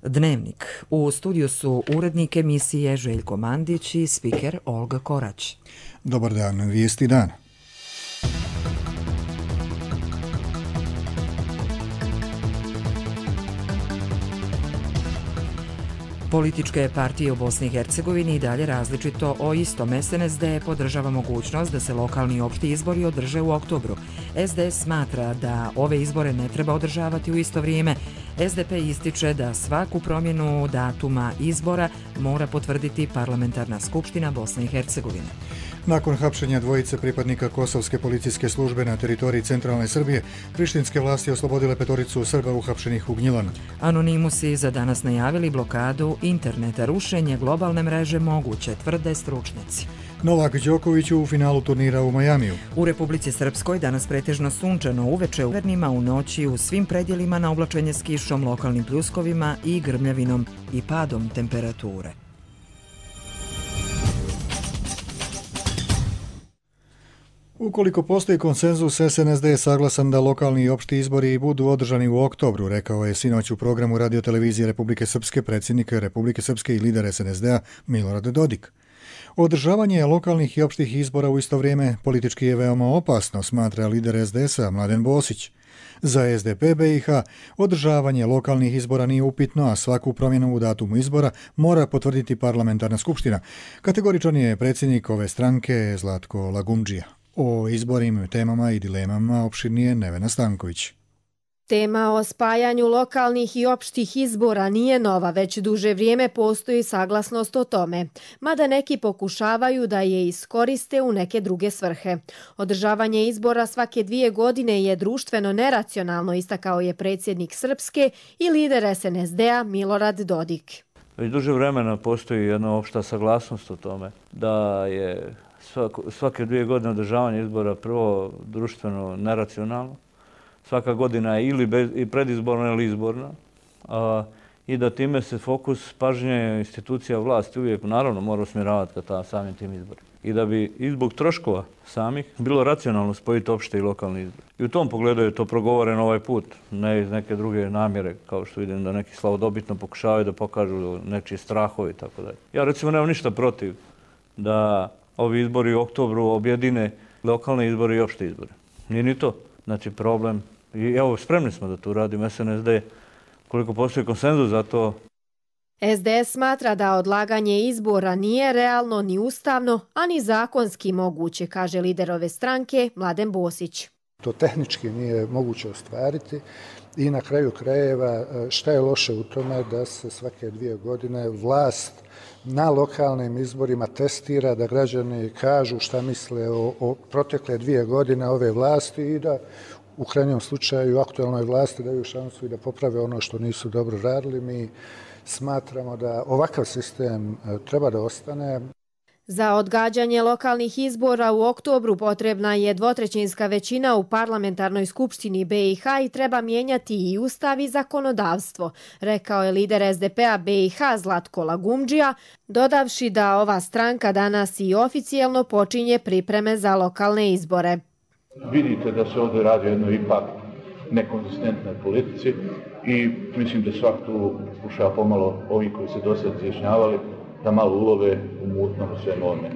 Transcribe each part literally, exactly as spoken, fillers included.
Dnevnik. U studiju su urednik emisije Željko Mandić i spiker Olga Korać. Dobar dan, vijesti dana. Političke partije u Bosni i Hercegovini i dalje različito o istom. S N S D podržava mogućnost da se lokalni i opšti izbori održe u oktobru. S D S smatra da ove izbore ne treba održavati u isto vrijeme. S D P ističe da svaku promjenu datuma izbora mora potvrditi Parlamentarna skupština Bosne i Hercegovine. Nakon hapšenja dvojice pripadnika kosovske policijske službe na teritoriji centralne Srbije, prištinske vlasti oslobodile petoricu Srba uhapšenih u Gnjilanu. Anonimusi za danas najavili blokadu interneta. Rušenje globalne mreže moguće, tvrde stručnjaci. Novak Đoković u finalu turnira u Majamiju. U Republici Srpskoj danas pretežno sunčano, uveče u severnima, u noći u svim predjelima na oblačenje s kišom, lokalnim pljuskovima i grmljavinom i padom temperature. Ukoliko postoji konsenzus, S N S D je saglasan da lokalni i opšti izbori budu održani u oktobru, rekao je sinoć u programu radiotelevizije Republike Srpske predsjednik Republike Srpske i lider S N S D-a Milorad Dodik. Održavanje lokalnih i opštih izbora u isto vrijeme politički je veoma opasno, smatra lider S D S-a Mladen Bosić. Za S D P B i H održavanje lokalnih izbora nije upitno, a svaku promjenu u datumu izbora mora potvrditi Parlamentarna skupština. Kategoričan je predsjednik ove stranke Zlatko Lagumdžija. O izbornim temama i dilemama opširnije Nevena Stanković. Tema o spajanju lokalnih i opštih izbora nije nova, već duže vrijeme postoji saglasnost o tome, mada neki pokušavaju da je iskoriste u neke druge svrhe. Održavanje izbora svake dvije godine je društveno neracionalno, istakao je predsjednik Srpske i lider S N S D-a Milorad Dodik. Već duže vremena postoji jedna opšta saglasnost o tome da je svake dvije godine održavanje izbora prvo društveno neracionalno. Svaka godina je ili bez, i predizborna ili izborna. A, I da time se fokus pažnje institucija vlasti uvijek naravno mora usmjeravati ka ta, samim tim izborima. I da bi i zbog troškova samih bilo racionalno spojiti opšte i lokalni izbor. I u tom pogledu je to progovoreno ovaj put, ne iz neke druge namjere, kao što vidim da neki slavodobitno pokušavaju da pokažu nečiji strahovi i tako dalje. Ja recimo nemam ništa protiv da ovi izbori u oktobru objedine lokalne izbore i opšte izbore. Nije ni to. Znači problem, i evo spremni smo da to uradimo, S N S D, koliko postoji konsenzus za to. S D S smatra da odlaganje izbora nije realno ni ustavno, a ni zakonski moguće, kaže lider ove stranke Mladen Bosić. To tehnički nije moguće ostvariti i na kraju krajeva šta je loše u tome da se svake dvije godine vlast na lokalnim izborima testira, da građani kažu šta misle o, o protekle dvije godine ove vlasti i da u krajnjem slučaju aktualnoj vlasti daju šansu i da poprave ono što nisu dobro radili. Mi smatramo da ovakav sistem treba da ostane. Za odgađanje lokalnih izbora u oktobru potrebna je dvotrećinska većina u Parlamentarnoj skupštini B i H i treba mijenjati i ustav i zakonodavstvo, rekao je lider S D P-a B i H Zlatko Lagumdžija, dodavši da ova stranka danas i oficijelno počinje pripreme za lokalne izbore. Vidite da se ovdje radi o jednoj ipak nekonzistentnoj politici i mislim da svak tu pokušava pomalo ovi koji se dosad izjašnjavali da malo ulove u mutnom svemu ovome.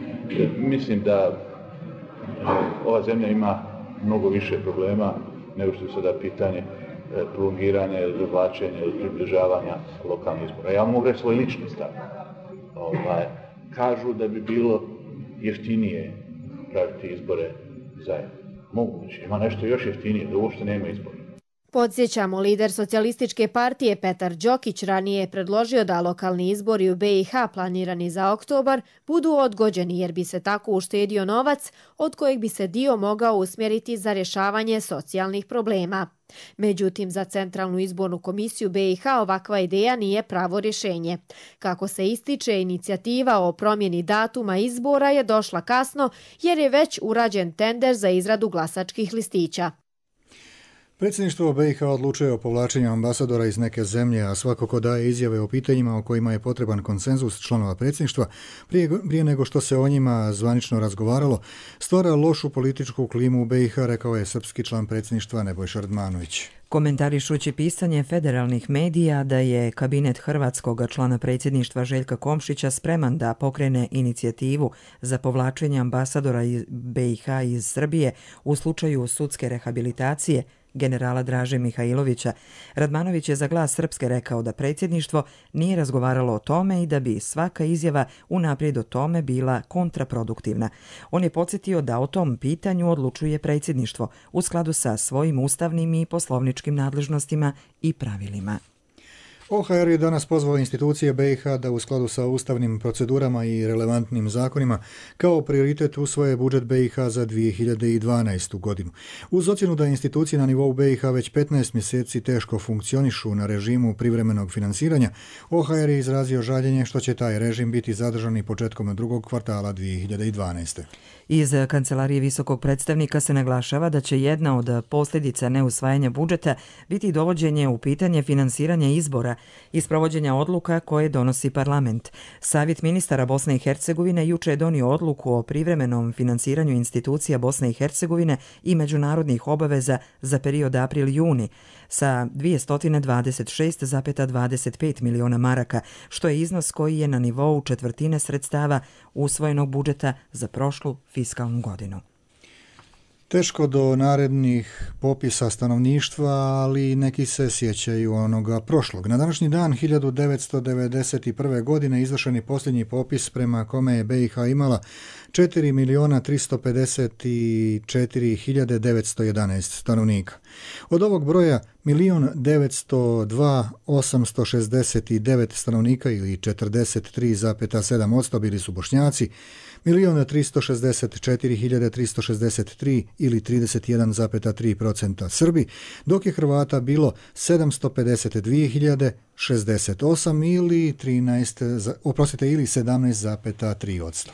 Mislim da ova zemlja ima mnogo više problema nego što je sada pitanje prolongiranja ili dovlačenja ili približavanja lokalnih izbora. Ja mogu reći svoj lični stav. Ovaj, kažu da bi bilo jeftinije praviti izbore zajedno. Moguće, ima nešto još jeftinije, da uopšte nema izbora. Podsjećamo, lider socijalističke partije Petar Đokić ranije je predložio da lokalni izbori u B i H planirani za oktobar budu odgođeni jer bi se tako uštedio novac od kojeg bi se dio mogao usmjeriti za rješavanje socijalnih problema. Međutim, za Centralnu izbornu komisiju B i H ovakva ideja nije pravo rješenje. Kako se ističe, inicijativa o promjeni datuma izbora je došla kasno jer je već urađen tender za izradu glasačkih listića. Predsjedništvo B i H odlučuje o povlačenju ambasadora iz neke zemlje, a svako ko daje izjave o pitanjima o kojima je potreban konsenzus članova predsjedništva, prije, prije nego što se o njima zvanično razgovaralo, stvara lošu političku klimu u B i H, rekao je srpski član predsjedništva Nebojša Radmanović. komentarišući pisanje federalnih medija da je kabinet hrvatskog člana predsjedništva Željka Komšića spreman da pokrene inicijativu za povlačenje ambasadora B i H iz Srbije u slučaju sudske rehabilitacije generala Draže Mihajlovića, Radmanović je za Glas Srpske rekao da predsjedništvo nije razgovaralo o tome i da bi svaka izjava unaprijed o tome bila kontraproduktivna. On je podsjetio da o tom pitanju odlučuje predsjedništvo u skladu sa svojim ustavnim i poslovničkim nadležnostima i pravilima. O H R je danas pozvao institucije B i H da u skladu sa ustavnim procedurama i relevantnim zakonima kao prioritet usvoje budžet B i H za dvije hiljade dvanaestu. godinu. Uz ocjenu da institucije na nivou B i H već petnaest mjeseci teško funkcionišu na režimu privremenog finansiranja, O H R je izrazio žaljenje što će taj režim biti zadržan i početkom drugog kvartala dvije hiljade dvanaeste. Iz Kancelarije visokog predstavnika se naglašava da će jedna od posljedica neusvajanja budžeta biti dovođenje u pitanje finansiranja izbora i sprovođenja odluka koje donosi parlament. Savjet ministara Bosne i Hercegovine juče je donio odluku o privremenom finansiranju institucija Bosne i Hercegovine i međunarodnih obaveza za period april-juni sa dvjesto dvadeset šest zarez dvadeset pet miliona maraka, što je iznos koji je na nivou četvrtine sredstava usvojenog budžeta za prošlu fiskalnu godinu. Teško do narednih popisa stanovništva, ali neki se sjećaju onoga prošlog. Na današnji dan hiljadu devetsto devedeset prve. godine izvršen je posljednji popis prema kome je B i H imala četiri milijuna tristo pedeset četiri hiljade devetsto jedanaest stanovnika. Od ovog broja milijun devetsto dva hiljade osamsto šezdeset devet stanovnika ili četrdeset tri zarez sedam posto bili su Bošnjaci, milijun tristo šezdeset četiri hiljade tristo šezdeset tri ili trideset jedan zarez tri posto Srbi, dok je Hrvata bilo sedamsto pedeset dvije hiljade šezdeset osam ili trinaest, oprostite, ili sedamnaest zarez tri posto.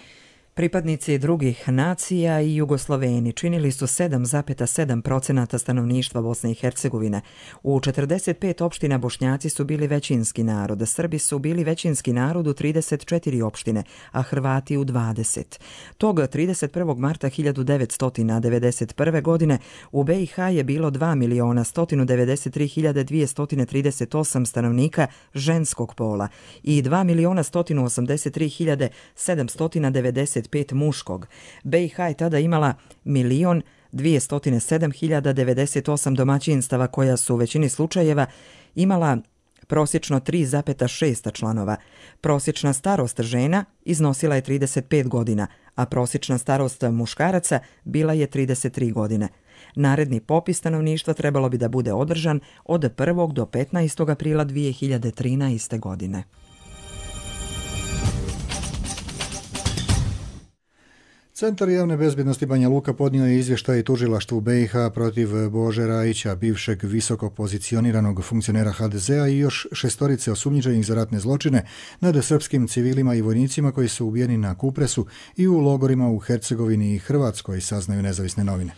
Pripadnici drugih nacija i Jugosloveni činili su sedam zarez sedam posto stanovništva Bosne i Hercegovine. U četrdeset pet opština Bošnjaci su bili većinski narod, Srbi su bili većinski narod u trideset četiri opštine, a Hrvati u dvadeset. Tog trideset prvog marta hiljadu devetsto devedeset prve. godine u B i H je bilo dva milijuna sto devedeset tri hiljade dvjesto trideset osam stanovnika ženskog pola i dva milijuna sto osamdeset tri hiljade sedamsto devedeset pet muškog. B i H je tada imala milion dvjesto sedam hiljada devedeset osam domaćinstava koja su u većini slučajeva imala prosječno tri zarez šest članova. Prosječna starost žena iznosila je trideset pet godina, a prosječna starost muškaraca bila je trideset tri godine. Naredni popis stanovništva trebalo bi da bude održan od prvog do petnaestog aprila dvije hiljade trinaeste. godine. Centar javne bezbjednosti Banja Luka podnio je izvještaj tužilaštvu B i H protiv Bože Rajića, bivšeg visoko pozicioniranog funkcionera H D Z-a i još šestorice osumnjičenih za ratne zločine nad srpskim civilima i vojnicima koji su ubijeni na Kupresu i u logorima u Hercegovini i Hrvatskoj, saznaju nezavisne novine.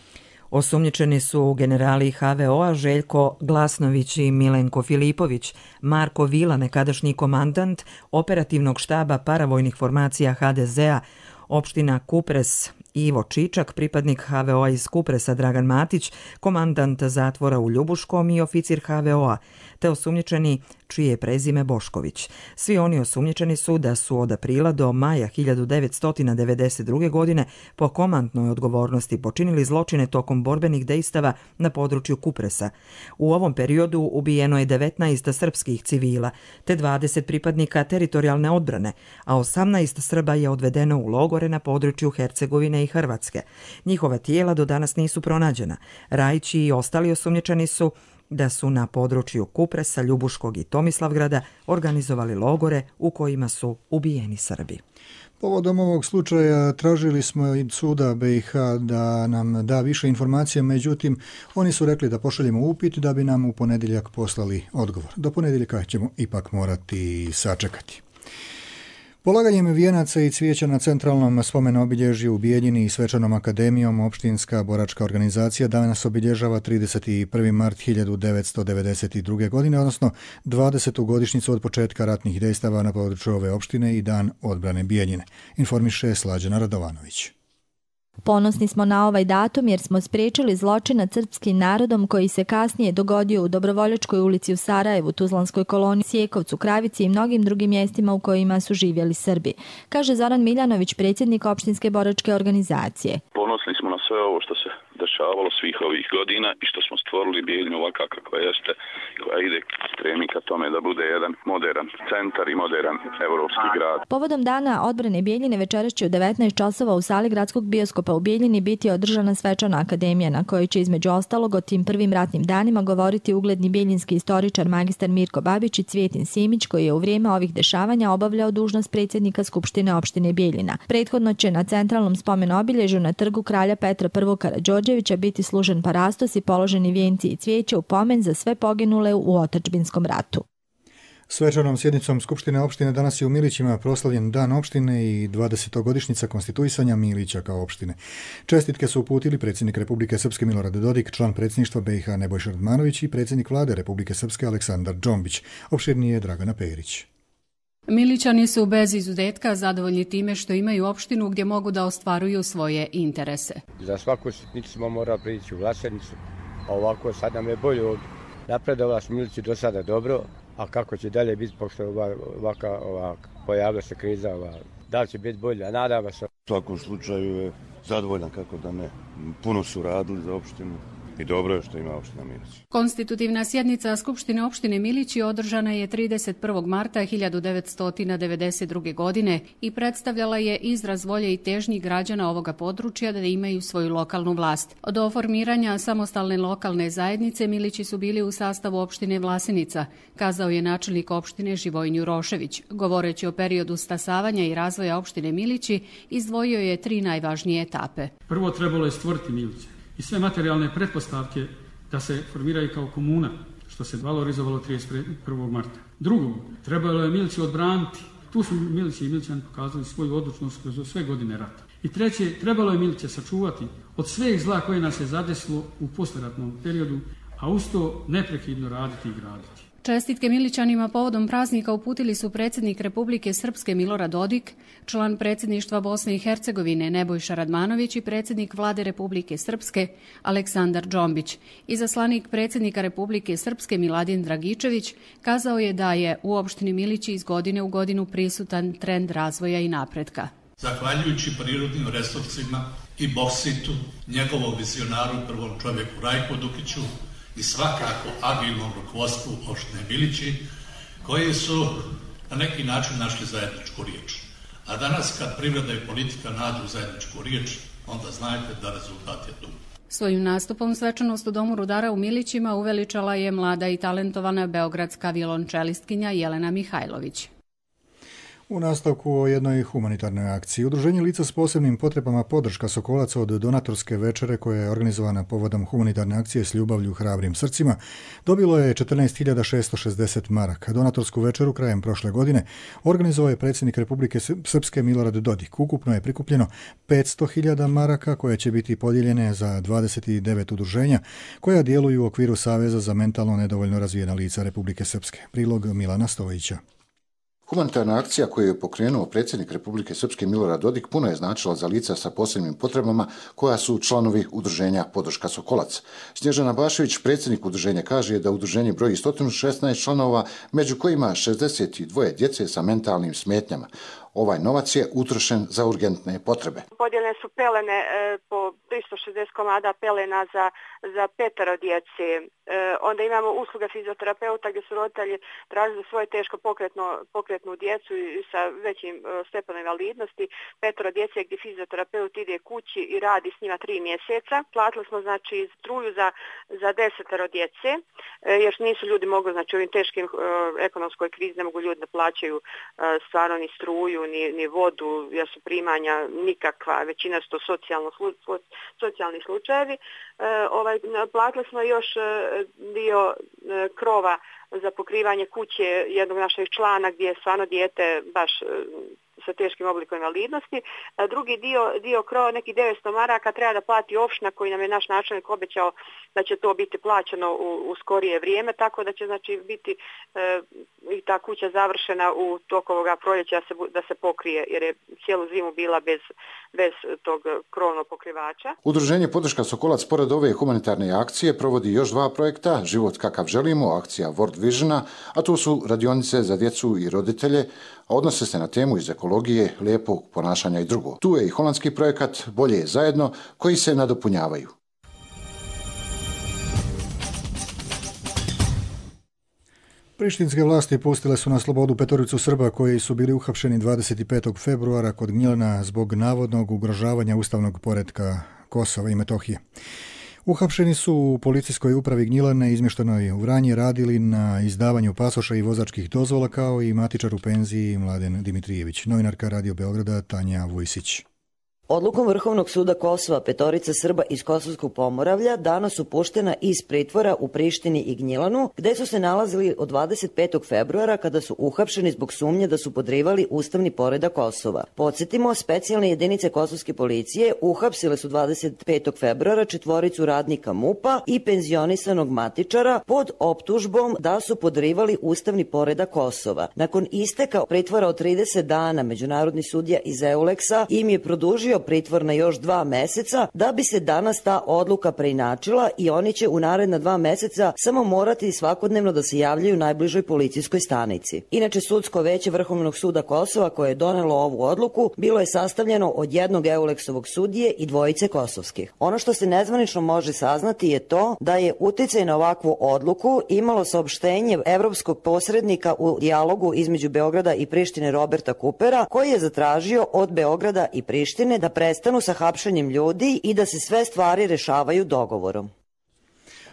Osumnjičeni su generali H V O-a Željko Glasnović i Milenko Filipović, Marko Vila, nekadašnji komandant operativnog štaba paravojnih formacija H D Z-a, opština Kupres, Ivo Čičak, pripadnik H V O-a iz Kupresa Dragan Matić, komandant zatvora u Ljubuškom i oficir H V O-a, te osumnjičeni čije je prezime Bošković. Svi oni osumnjičeni su da su od aprila do maja hiljadu devetsto devedeset druge. godine po komandnoj odgovornosti počinili zločine tokom borbenih dejstava na području Kupresa. U ovom periodu ubijeno je devetnaest srpskih civila, te dvadeset pripadnika teritorijalne odbrane, a osamnaest Srba je odvedeno u logore na području Hercegovine i Hrvatske. Njihova tijela do danas nisu pronađena. Rajić i ostali osumnjičeni su da su na području Kupresa, Ljubuškog i Tomislavgrada organizovali logore u kojima su ubijeni Srbi. Povodom ovog slučaja tražili smo od suda B i H da nam da više informacija, međutim oni su rekli da pošaljemo upit da bi nam u ponedjeljak poslali odgovor. Do ponedjeljaka ćemo ipak morati sačekati. Polaganjem vijenaca i cvijeća na centralnom spomen obilježju u Bijeljini i svečanom akademijom opštinska boračka organizacija danas obilježava trideset prvi mart hiljadu devetsto devedeset druge. godine, odnosno dvadesetu godišnjicu od početka ratnih dejstava na području ove opštine i dan odbrane Bijeljine, informiše Slađana Radovanović. Ponosni smo na ovaj datum jer smo spriječili zločin nad srpskim narodom koji se kasnije dogodio u Dobrovoljačkoj ulici u Sarajevu, Tuzlanskoj koloniji, Sjekovcu, Kravici i mnogim drugim mjestima u kojima su živjeli Srbi, kaže Zoran Miljanović, predsjednik opštinske boračke organizacije. Ponosni smo na sve ovo što se dešavalo svih ovih godina i što smo stvorili Bijeljinu ovakva kakva jeste, koja ide stremi ka tome da bude jedan modern centar i modern evropski grad. Povodom dana odbrane Bijeljine večeras će u devetnaest časova u sali gradskog bioskopa u Bijeljini biti održana svečana akademija na kojoj će između ostalog o tim prvim ratnim danima govoriti ugledni bijeljinski istoričar magistar Mirko Babić i Cvjetin Simić, koji je u vrijeme ovih dešavanja obavljao dužnost predsjednika Skupštine opštine Bijeljina. Prethodno će na centralnom spomen obilježju na trgu kralja Petra I. Karađorđevića biti služen parastos i položeni vijenci i cvijeće u pomen za sve poginule u otadžbinskom ratu. Svečanom sjednicom Skupštine opštine danas je u Milićima proslavljen Dan opštine i dvadesetogodišnjica konstituisanja Milića kao opštine. Čestitke su uputili predsjednik Republike Srpske Milorad Dodik, član predsjedništva B i H Nebojša Radmanović i predsjednik vlade Republike Srpske Aleksandar Džombić. Opširnije Dragana Perić. Milićani su bez izuzetka zadovoljni time što imaju opštinu gdje mogu da ostvaruju svoje interese. Za svaku sitnicu smo morali prići u Vlasenicu, a ovako sad nam je bolje ovdje. Napredovala smo Milići do sada dobro, a kako će dalje biti, pošto ovaka, ovaka, pojavila se kriza, ova, da li će biti bolje, a nadava se. U svakom slučaju je zadovoljan, kako da ne. Puno su radili za opštinu. I dobro je što ima opština Milić. Konstitutivna sjednica Skupštine opštine Milići održana je trideset prvog marta hiljadu devetsto devedeset druge. godine i predstavljala je izraz volje i težnji građana ovoga područja da imaju svoju lokalnu vlast. Do formiranja samostalne lokalne zajednice Milići su bili u sastavu opštine Vlasenica, kazao je načelnik opštine Živojin Jurošević. Govoreći o periodu stasavanja i razvoja opštine Milići, izdvojio je tri najvažnije etape. Prvo trebalo je stvoriti Miliće i sve materijalne pretpostavke da se formiraju kao komuna, što se valorizovalo trideset prvog marta. Drugo, trebalo je Milići odbraniti. Tu su Milići i Milićani pokazali svoju odlučnost kroz sve godine rata. I treće, trebalo je Miliće sačuvati od svih zla koje nas je zadesilo u poslijeratnom periodu, a uz to neprekidno raditi i graditi. Čestitke Milićanima povodom praznika uputili su predsjednik Republike Srpske Milorad Dodik, član predsjedništva Bosne i Hercegovine Nebojša Radmanović i predsjednik vlade Republike Srpske Aleksandar Džombić. Izaslanik predsjednika Republike Srpske Miladin Dragičević kazao je da je u opštini Milići iz godine u godinu prisutan trend razvoja i napretka. Zahvaljujući prirodnim resursima i Bositu, njegovom vizionaru prvom čovjeku Rajku Dukiću, i svakako agilnom rukovodstvu opštine Milići, koji su na neki način našli zajedničku riječ. A danas kad privreda i politika nađu zajedničku riječ, onda znajte da rezultat je tu. Svojim nastupom svečanost u Domu rudara u Milićima uveličala je mlada i talentovana beogradska violončelistkinja Jelena Mihajlović. U nastavku o jednoj humanitarnoj akciji. Udruženje lica s posebnim potrebama podrška Sokolaca od donatorske večere koja je organizovana povodom humanitarne akcije s ljubavlju hrabrim srcima dobilo je četrnaest hiljada šesto šezdeset maraka. Donatorsku večeru krajem prošle godine organizovao je predsjednik Republike Srpske Milorad Dodik. Ukupno je prikupljeno petsto hiljada maraka koje će biti podijeljene za dvadeset devet udruženja koja djeluju u okviru Saveza za mentalno nedovoljno razvijena lica Republike Srpske. Prilog Milana Stojića. Humanitarna akcija koju je pokrenuo predsjednik Republike Srpske Milorad Dodik puno je značila za lica sa posebnim potrebama koja su članovi udruženja Podrška Sokolac. Snježana Bašević, predsjednik udruženja, kaže da udruženje broji sto šesnaest članova, među kojima šezdeset dva djece sa mentalnim smetnjama. Ovaj novac je utrošen za urgentne potrebe. Podijeljene su pelene e, po tristo šezdeset komada pelena za, za petero djece. E, onda imamo usluga fizioterapeuta gdje su roditelji tražili svoje teško pokretno, pokretnu djecu i sa većim e, stepenom invalidnosti. Petero djece gdje fizioterapeut ide kući i radi s njima tri mjeseca. Platili smo znači struju za, za desetero djece, e, jer nisu ljudi mogli, znači u ovim teškim e, ekonomskoj krizi ne mogu ljudi da plaćaju e, stvarno ni struju, Ni, ni vodu, jer su primanja nikakva, većina su to socijalno, socijalni slučajevi. E, ovaj, platili smo još e, dio e, krova za pokrivanje kuće jednog našeg člana gdje je stvarno dijete baš e, sa teškim oblikom invalidnosti. A drugi dio, dio krova, nekih devetsto maraka, treba da plati opština koji nam je naš načelnik obećao da će to biti plaćeno u, u skorije vrijeme, tako da će znači biti e, i ta kuća završena u toku ovoga proljeća da se, da se pokrije, jer je cijelu zimu bila bez, bez tog krovnog pokrivača. Udruženje Podrška Sokolac pored ove humanitarne akcije provodi još dva projekta, Život kakav želimo, akcija World Visiona, a tu su radionice za djecu i roditelje, a odnose se na temu iz ekologije, lijepog ponašanja i drugo. Tu je i holandski projekat Bolje je zajedno, koji se nadopunjavaju. Prištinske vlasti pustile su na slobodu petoricu Srba koji su bili uhapšeni dvadeset petog februara kod Gnjilana zbog navodnog ugrožavanja ustavnog poretka Kosova i Metohije. Uhapšeni su u policijskoj upravi Gnjilane izmještenoj u Vranje radili na izdavanju pasoša i vozačkih dozvola kao i matičar u penziji Mladen Dimitrijević. Novinarka Radio Beograda Tanja Vujsić. Odlukom Vrhovnog suda Kosova petorica Srba iz Kosovskog Pomoravlja danas su puštena iz pritvora u Prištini i Gnjilanu, gde su se nalazili od dvadeset petog februara kada su uhapšeni zbog sumnje da su podrivali ustavni poredak Kosova. Podsjetimo, specijalne jedinice kosovske policije uhapsile su dvadeset petog februara četvoricu radnika M U P-a i penzionisanog matičara pod optužbom da su podrivali ustavni poredak Kosova. Nakon isteka pritvora od trideset dana, međunarodni sudija iz Euleksa im je produžio pritvor na još dva meseca, da bi se danas ta odluka preinačila i oni će u naredna dva meseca samo morati svakodnevno da se javljaju najbližoj policijskoj stanici. Inače, sudsko veće Vrhovnog suda Kosova koje je donelo ovu odluku bilo je sastavljeno od jednog Euleksovog sudije i dvojice kosovskih. Ono što se nezvanično može saznati je to da je uticaj na ovakvu odluku imalo saopštenje evropskog posrednika u dijalogu između Beograda i Prištine Roberta Kupera, koji je zatražio od Beograda i Prištine da prestanu sa hapšenjem ljudi i da se sve stvari rešavaju dogovorom.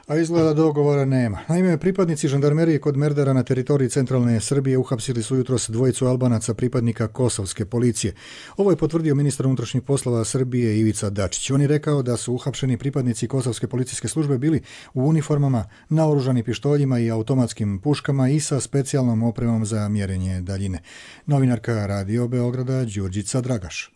A izgleda dogovora nema. Naime, pripadnici žandarmerije kod Merdara na teritoriji centralne Srbije uhapsili su jutros dvojicu Albanaca pripadnika kosovske policije. Ovo je potvrdio ministar unutrašnjih poslova Srbije Ivica Dačić. On je rekao da su uhapšeni pripadnici kosovske policijske službe bili u uniformama, naoružani pištoljima i automatskim puškama i sa specijalnom opremom za mjerenje daljine. Novinarka Radio Beograda Đurđica Dragaš.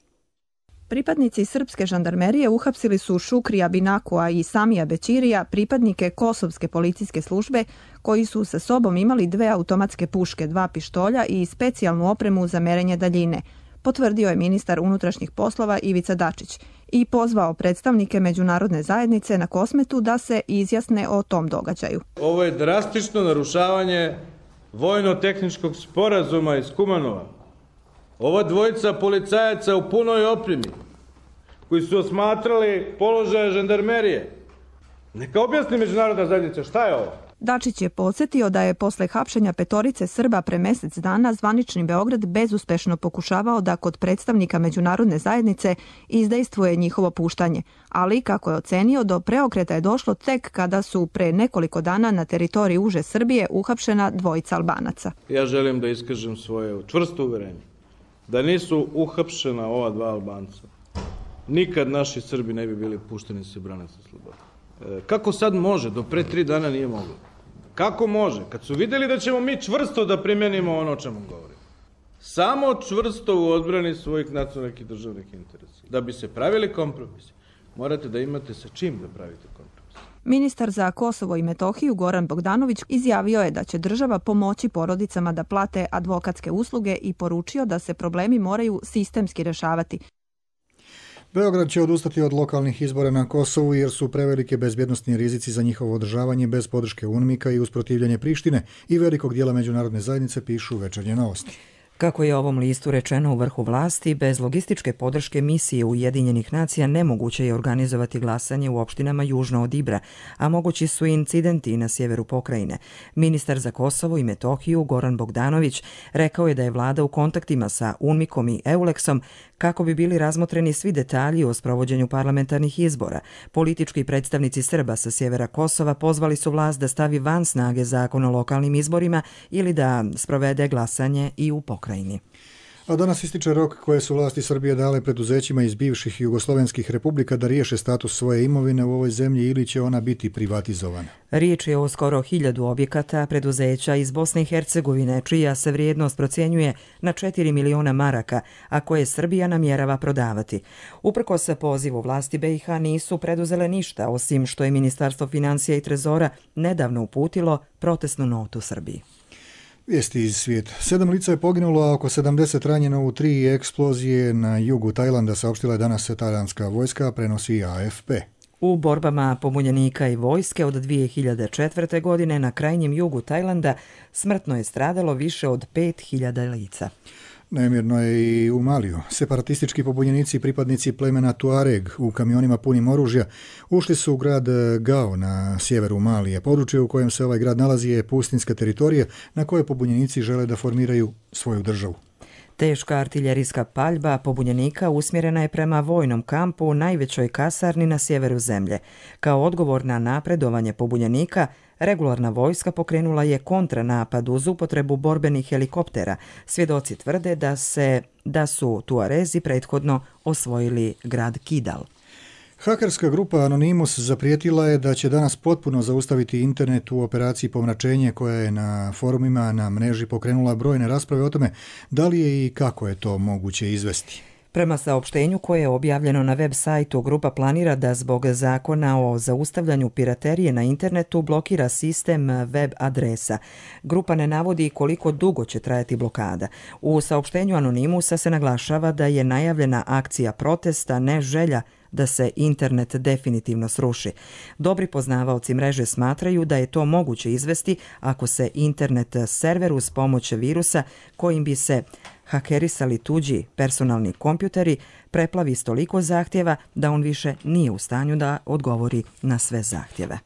Pripadnici srpske žandarmerije uhapsili su Šukrija Binakua i Samija Bećirija, pripadnike kosovske policijske službe, koji su sa sobom imali dve automatske puške, dva pištolja i specijalnu opremu za merenje daljine, potvrdio je ministar unutrašnjih poslova Ivica Dačić i pozvao predstavnike međunarodne zajednice na Kosmetu da se izjasne o tom događaju. Ovo je drastično narušavanje vojno-tehničkog sporazuma iz Kumanova. Ova dvojica policajaca u punoj opremi, koji su osmatrali položaje žandarmerije. Neka objasni međunarodna zajednica šta je ovo? Dačić je podsjetio da je posle hapšenja petorice Srba pre mesec dana zvanični Beograd bezuspešno pokušavao da kod predstavnika međunarodne zajednice izdejstvuje njihovo puštanje, ali kako je ocenio, do preokreta je došlo tek kada su pre nekoliko dana na teritoriji uže Srbije uhapšena dvojica Albanaca. Ja želim da iskažem svoje čvrsto uverenje da nisu uhapšena ova dva Albanca, nikad naši Srbi ne bi bili pušteni se brane sa slobodom. E, kako sad može? Do pre tri dana nije moglo. Kako može? Kad su vidjeli da ćemo mi čvrsto da primjenimo ono o čemu govorimo. Samo čvrsto u odbrani svojih nacionalnih i državnih interesa. Da bi se pravili kompromisi, morate da imate sa čim da pravite kompromis. Ministar za Kosovo i Metohiju Goran Bogdanović izjavio je da će država pomoći porodicama da plate advokatske usluge i poručio da se problemi moraju sistemski rešavati. Beograd će odustati od lokalnih izbora na Kosovu jer su prevelike bezbjednostni rizici za njihovo održavanje bez podrške UNMIK-a i usprotivljanje Prištine i velikog dijela međunarodne zajednice, pišu Večernje novosti. Kako je ovom listu rečeno u vrhu vlasti, bez logističke podrške misije Ujedinjenih nacija nemoguće je organizovati glasanje u opštinama južno od Ibra, a mogući su incidenti na sjeveru pokrajine. Ministar za Kosovo i Metohiju Goran Bogdanović rekao je da je vlada u kontaktima sa UNMIK-om i Euleksom kako bi bili razmotreni svi detalji o sprovođenju parlamentarnih izbora. Politički predstavnici Srba sa sjevera Kosova pozvali su vlast da stavi van snage zakon o lokalnim izborima ili da sprovede glasanje i u pokrajini. A danas ističe rok koje su vlasti Srbije dale preduzećima iz bivših jugoslovenskih republika da riješe status svoje imovine u ovoj zemlji ili će ona biti privatizovana. Riječ je o skoro hiljadu objekata preduzeća iz Bosne i Hercegovine, čija se vrijednost procjenjuje na četiri miliona maraka, a koje Srbija namjerava prodavati. Uprkos pozivu vlasti B i H nisu preduzele ništa, osim što je Ministarstvo financija i trezora nedavno uputilo protestnu notu Srbiji. Vijesti iz svijeta. Sedam lica je poginulo, a oko sedamdeset ranjeno u tri eksplozije na jugu Tajlanda, saopštila je danas tajlandska vojska, prenosi A F P. U borbama pobunjenika i vojske od dvije hiljade četvrte. godine na krajnjem jugu Tajlanda smrtno je stradalo više od pet hiljada lica. Nemirno je i u Maliju. Separatistički pobunjenici i pripadnici plemena Tuareg u kamionima punim oružja ušli su u grad Gao na sjeveru Malije. Područje u kojem se ovaj grad nalazi je pustinska teritorija na kojoj pobunjenici žele da formiraju svoju državu. Teška artiljerijska paljba pobunjenika usmjerena je prema vojnom kampu u najvećoj kasarni na sjeveru zemlje. Kao odgovor na napredovanje pobunjenika, regularna vojska pokrenula je kontranapad uz upotrebu borbenih helikoptera. Svjedoci tvrde da, se, da su Tuarezi prethodno osvojili grad Kidal. Hakerska grupa Anonymous zaprijetila je da će danas potpuno zaustaviti internet u operaciji pomračenje koja je na forumima na mreži pokrenula brojne rasprave o tome da li je i kako je to moguće izvesti. Prema saopštenju koje je objavljeno na web sajtu, grupa planira da zbog zakona o zaustavljanju piraterije na internetu blokira sistem web adresa. Grupa ne navodi koliko dugo će trajati blokada. U saopštenju Anonymousa se naglašava da je najavljena akcija protesta, ne želja da se internet definitivno sruši. Dobri poznavaoci mreže smatraju da je to moguće izvesti ako se internet server uz pomoć virusa kojim bi se hakerisali tuđi personalni kompjuteri preplavi s toliko zahtjeva da on više nije u stanju da odgovori na sve zahtjeve.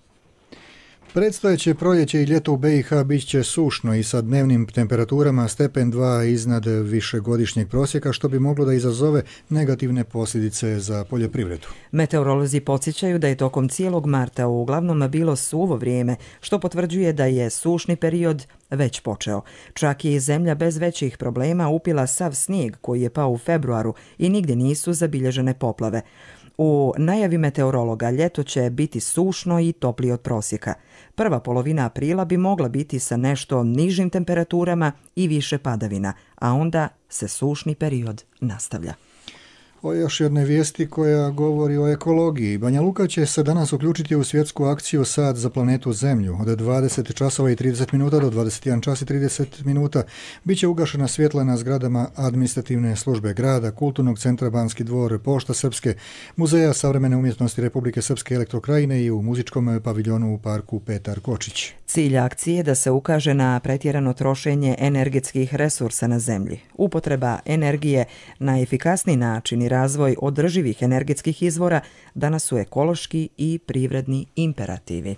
Predstojeće proljeće i ljeto u B i H bit će sušno i sa dnevnim temperaturama stepen dva iznad višegodišnjeg prosjeka, što bi moglo da izazove negativne posljedice za poljoprivredu. Meteorolozi podsjećaju da je tokom cijelog marta uglavnom bilo suvo vrijeme, što potvrđuje da je sušni period već počeo. Čak je i zemlja bez većih problema upila sav snijeg koji je pao u februaru i nigdje nisu zabilježene poplave. U najavi meteorologa ljeto će biti sušno i toplije od prosjeka. Prva polovina aprila bi mogla biti sa nešto nižim temperaturama i više padavina, a onda se sušni period nastavlja. O još jedne vijesti koja govori o ekologiji. Banja Luka će se danas uključiti u svjetsku akciju Sad za planetu Zemlju. Od dvadeset časova i trideset minuta do dvadeset jedan čas i trideset minuta bit će ugašena svjetla na zgradama administrativne službe grada, Kulturnog centra Banski dvor, Pošta Srpske, Muzeja savremene umjetnosti Republike Srpske Elektrokrajine i u muzičkom paviljonu u parku Petar Kočić. Cilj akcije je da se ukaže na pretjerano trošenje energetskih resursa na zemlji. Upotreba energije na efikasni način i razvoj održivih energetskih izvora danas su ekološki i privredni imperativi.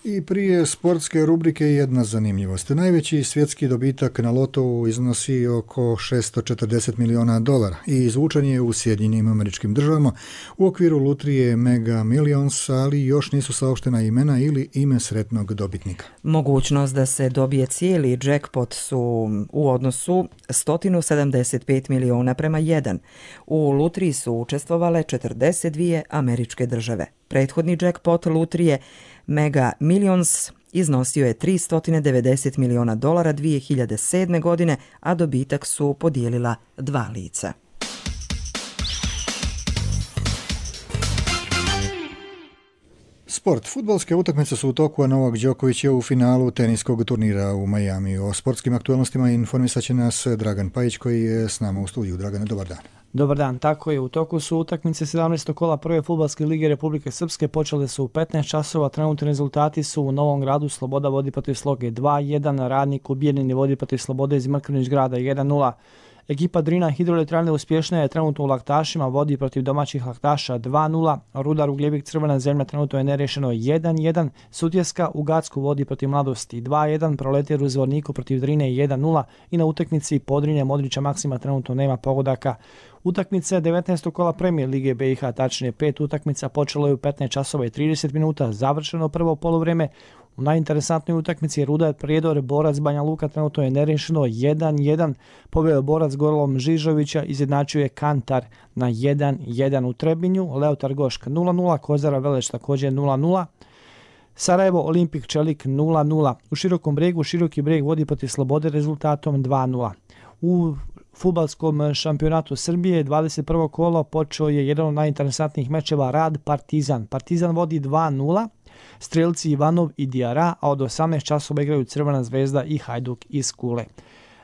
I prije sportske rubrike jedna zanimljivost. Najveći svjetski dobitak na lotovu iznosi oko šesto četrdeset miliona dolara i izvučen je u Sjedinjenim Američkim Državama u okviru lutrije Mega Millions, ali još nisu saopštena imena ili ime sretnog dobitnika. Mogućnost da se dobije cijeli jackpot su u odnosu sto sedamdeset pet miliona prema jedan. U lutriji su učestvovale četrdeset dvije američke države. Prethodni jackpot lutrije Mega Millions iznosio je tristo devedeset miliona dolara dvije hiljade sedme. godine, a dobitak su podijelila dva lica. Sport. Fudbalske utakmice su u toku, a Novak Đoković je u finalu teniskog turnira u Majamiju. O sportskim aktualnostima informisat će nas Dragan Pajić koji je s nama u studiju. Dragane, dobar dan. Dobar dan, tako je. U toku su utakmice sedamnaestog kola prve fudbalske lige Republike Srpske, počele su u petnaest časova, trenutni rezultati su u Novom Gradu Sloboda vodi protiv Sloge dva jedan, Radnik u Bijeljini vodi protiv Slobode iz Mrkvinić grada jedan nula. Ekipa Drina Hidroelektrane uspješna je trenutno u Laktašima, vodi protiv domaćih Laktaša dva nula, Rudar Ugljevik Crvena zemlja trenutno je nerešeno jedan jedan, Sutjeska u Gacku vodi protiv Mladosti dva jedan, Proletar u Zvorniku protiv Drine jedan nula i na utakmici Podrinje Modrića Maksima trenutno nema pogodaka. Utakmice devetnaestog kola Premijer lige B i H, tačnije pet utakmica, počelo je u petnaest časova i trideset minuta, završeno prvo poluvreme. U najinteresantnoj utakmici Rudar Prijedor Borac Banja Luka trenutno je nerešeno jedan jedan, pobjeo Borac golom Žižovića, izjednačio je Kantar na jedan jedan u Trebinju, Leotar Gošk nula nula, Kozara Veleš također nula nula, Sarajevo Olimpik Čelik nula nula. U Širokom Brijegu Široki Brijeg vodi protiv Slobode rezultatom dva nula. U fudbalskom šampionatu Srbije dvadeset prvo kolo počeo je jedan od najinteresantnijih mečeva Rad Partizan. Partizan vodi dva nula, strelci Ivanov i Diara, a od osamnaest časova igraju Crvena zvezda i Hajduk iz Kule.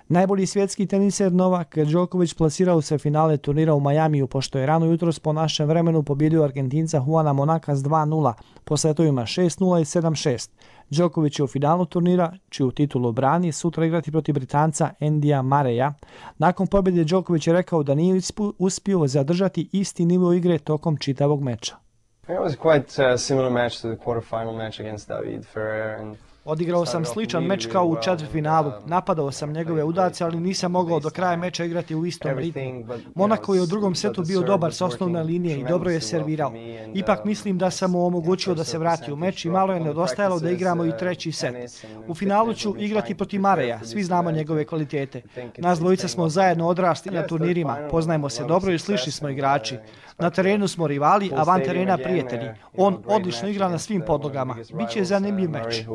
Najbolji svjetski teniser Novak Đoković plasirao se finale turnira u Majamiju, pošto je rano jutros po našem vremenu pobjedio Argentinca Juana Monaka s dva nula, po setovima šest nula i sedam šest. Đoković je u finalu turnira, čiju titulu brani, sutra igrati protiv Britanca Endija Mareja. Nakon pobjede Đoković je rekao da nije uspio zadržati isti nivo igre tokom čitavog meča. It was quite a similar match to the quarterfinal match against David Ferrer and Odigrao sam sličan meč kao u četvrtfinalu. Napadao sam njegove udarce, ali nisam mogao do kraja meča igrati u istom ritmu. Monako je u drugom setu bio dobar s osnovne linije i dobro je servirao. Ipak mislim da sam mu omogućio da se vrati u meč i malo je nedostajalo da igramo i treći set. U finalu ću igrati protiv Mareja, svi znamo njegove kvalitete. Nas dvojica smo zajedno odrasli na turnirima, poznajemo se dobro i slični smo igrači. Na terenu smo rivali, a van terena prijatelji. On odlično igra na svim podlogama. Biće zanimljiv meč.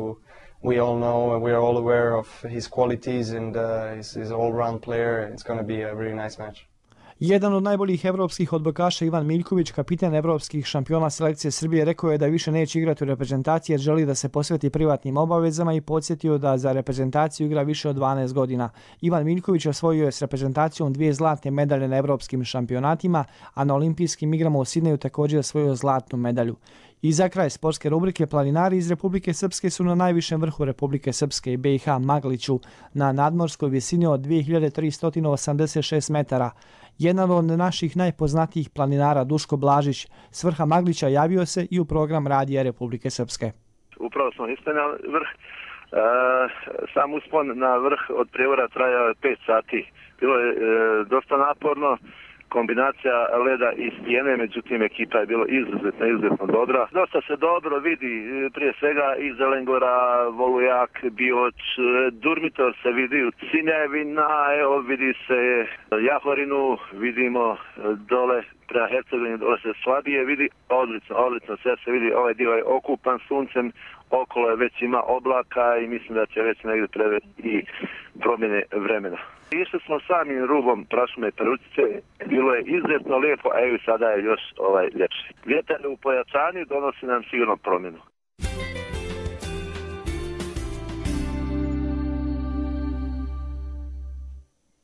We all know, we are all aware of his qualities and uh, he's, he's an all-round player. It's going to be a really nice match. Jedan od najboljih evropskih odbojkaša Ivan Miljković, kapiten evropskih šampiona selekcije Srbije, rekao je da više neće igrati u reprezentaciji jer želi da se posveti privatnim obavezama i podsjetio da za reprezentaciju igra više od dvanaest godina. Ivan Miljković osvojio je s reprezentacijom dvije zlatne medalje na evropskim šampionatima, a na olimpijskim igrama u Sidneju također osvojio zlatnu medalju. I za kraj sportske rubrike, planinari iz Republike Srpske su na najvišem vrhu Republike Srpske i B i H Magliću na nadmorskoj visini od dvije hiljade tristo osamdeset šest metara. Jedan od naših najpoznatijih planinara, Duško Blažić, s vrha Maglića javio se i u program Radija Republike Srpske. Upravo smo ispali na vrh. E, sam uspon na vrh od prijevora trajao pet sati. Bilo je e, dosta naporno. Kombinacija leda i stijene, međutim ekipa je bilo izuzetno, izuzetno dobra. Dosta se dobro vidi, prije svega i Zelengora, Volujak, Bioč, Durmitor se vidi u Cinevina, evo vidi se Jahorinu, vidimo dole prema Hercegovini, dole se slabije vidi, odlično, odlično, sve se vidi, ovaj dio je okupan suncem, okolo je već ima oblaka i mislim da će već negdje prevesti i promjene vremena. Išli smo samim rubom prašume Peručice, bilo je izuzetno lijepo, a evo sada je još ovaj ljepši. Vjetar u pojačanju donosi nam sigurno promjenu.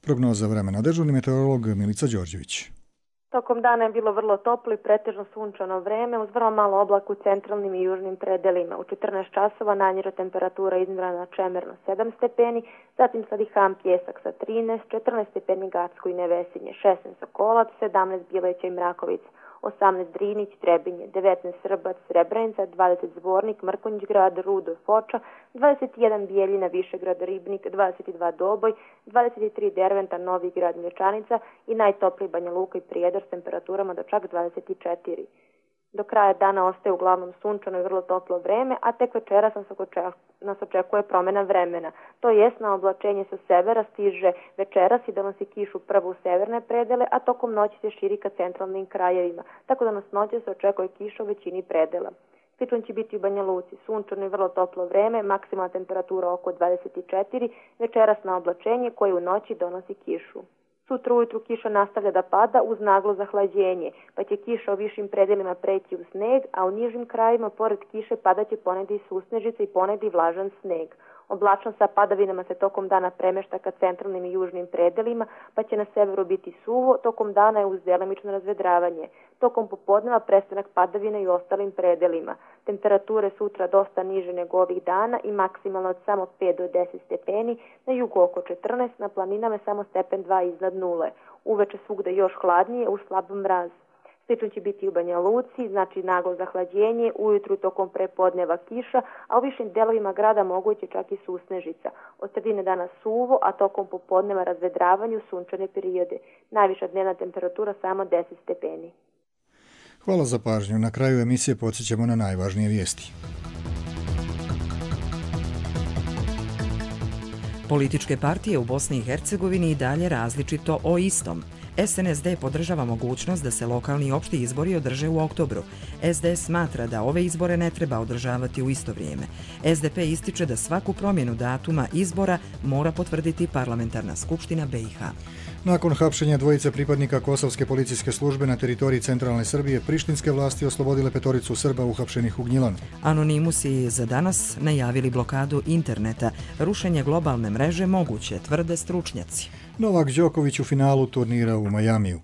Prognoza vremena. Dežurni meteorolog Milica Đorđević. Tokom dana je bilo vrlo toplo i pretežno sunčano vreme uz vrlo malo oblaka u centralnim i južnim predelima. U četrnaest časova nanjera temperatura izmjerena čemerno sedam stepeni, zatim Sadihan Pjesak sa trinaest, četrnaest stepeni Gacko i Nevesinje, šesnaest Sokolac, sedamnaest Bileća i Mrakovic, osamnaest Drinić, Trebinje, devetnaest Srbac, Srebrenica, dvadeset Zvornik, Mrkonjić grad, Rudo, Foča, dvadeset jedan Bijeljina, Višegrad, Ribnik, dvadeset dva Doboj, dvadeset tri Derventa, Novi grad, Mlječanica i najtopliji Banja Luka i Prijedor s temperaturama do čak dvadeset četiri. Do kraja dana ostaje uglavnom sunčano i vrlo toplo vreme, a tek večeras nas očekuje promjena vremena. To jest na oblačenje sa severa stiže večeras i donosi kišu prvo u severne predele, a tokom noći se širi ka centralnim krajevima, tako da nas noće se očekuje kiša u većini predela. Slično će biti u Banja Luci, sunčano i vrlo toplo vreme, maksimalna temperatura oko dvadeset četiri, večeras na oblačenje koje u noći donosi kišu. Sutra ujutru kiša nastavlja da pada uz naglo zahlađenje, pa će kiša u višim predelima preći u sneg, a u nižim krajima pored kiše padaće ponegdje i susnežice i ponegdje i vlažan sneg. Oblačnost sa padavinama se tokom dana premešta ka centralnim i južnim predelima, pa će na severu biti suvo, tokom dana je uz delimično razvedravanje. Tokom popodneva prestanak padavina i u ostalim predelima. Temperature sutra dosta niže nego ovih dana i maksimalno od samo pet do deset stepeni, na jugu oko četrnaest, na planinama samo stepen dva iznad nule. Uveče svugde još hladnije uz slab mraz. Slično će biti u Banja Luci, znači naglo zahlađenje, ujutru tokom prepodneva kiša, a u višim delovima grada moguće čak i susnežica. Od sredine dana suvo, a tokom popodneva razvedravanju sunčane periode. Najviša dnevna temperatura samo deset stepeni. Hvala za pažnju. Na kraju emisije podsjećamo na najvažnije vijesti. Političke partije u Bosni i Hercegovini i dalje različito o istom. S N S D podržava mogućnost da se lokalni i opšti izbori održe u oktobru. S D S smatra da ove izbore ne treba održavati u isto vrijeme. S D P ističe da svaku promjenu datuma izbora mora potvrditi Parlamentarna skupština B i H. Nakon hapšenja dvojice pripadnika kosovske policijske službe na teritoriji centralne Srbije, prištinske vlasti oslobodile petoricu Srba uhapšenih u Gnjilanu. Anonimusi za danas najavili blokadu interneta. Rušenje globalne mreže moguće, tvrde stručnjaci. Novak Đoković u finalu turnira u Majamiju.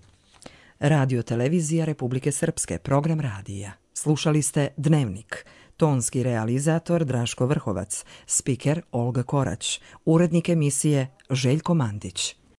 Radio televizija Republike Srpske, program radija. Slušali ste Dnevnik. Tonski realizator Draško Vrhovac, spiker Olga Korać, urednik emisije Željko Mandić.